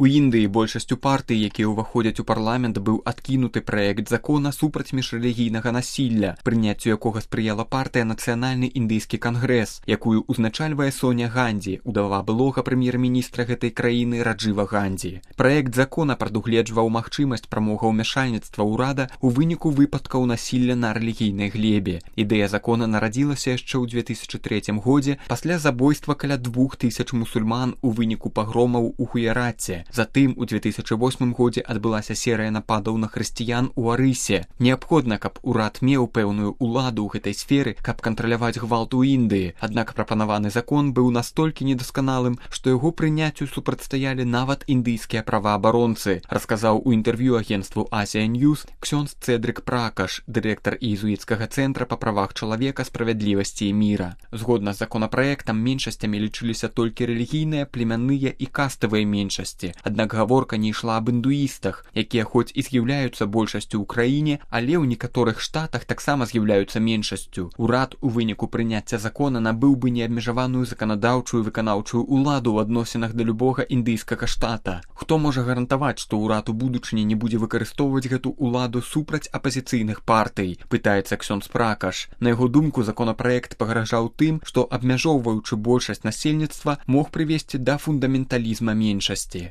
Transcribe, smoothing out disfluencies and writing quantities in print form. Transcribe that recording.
У Індыі большасцю партый, якія ўваходзяць у парламент, быў адкінуты праект закона супраць міжрэлігійнага насілля, прыняццю якога спрыяла партыя Нацыянальны індыйскі кангрэс, якую ўзначальвае Соня Гандзі, удава былога прэм'ер-міністра гэтай краіны Раджыва Гандзі. Праект закона прадугледжваў магчымасць прамога ўмяшальніцтва ўрада ў выніку выпадкаў насілля на рэлігійнай глебе. Ідэя закона нарадзілася яшчэ ў 2003 годзе пасля забойства каля 2000 мусульман у выніку пагромаў у Гуяраце. Затым у 2008 годзе адбылася серыя нападаў на хрысціян у Арысе. Неабходна, каб урад меў пэўную ўладу ў гэтай сферы, каб кантраляваць гвалт у Індыі. Аднак прапанаваны закон быў настолькі недасканалым, што яго прыняццю супрацьстаялі нават індыйскія праваабаронцы, расказаў у інтэрв'ю агенцтву Asia News ксёндз Цэдрык Пракаш, дырэктар іезуіцкага цэнтра па правах чалавека, справядлівасці і міра. Згодна з законапраектам, меншасцямі лічыліся толькі рэлігійныя, племянныя і каставыя меншасці. Аднак гаворка не ішла аб індуістах, якія хоць і з'яўляюцца большасцю ў краіне, але ў некаторых штатах таксама з'яўляюцца меншасцю. Урад у выніку прыняцця закона набыў бы неабмежаваную заканадаўчую і выканаўчую ўладу ў адносінах да любога індыйскага штата. Хто можа гарантаваць, што ўрад у будучыні не будзе выкарыстоўваць гэту ўладу супраць апазіцыйных партый, пытаецца ксёндз Пракаш. На яго думку, законапраект пагражаў тым, што, абмяжоўваючы большасць насельніцтва, мог прывесці да фундаменталізма меншасці.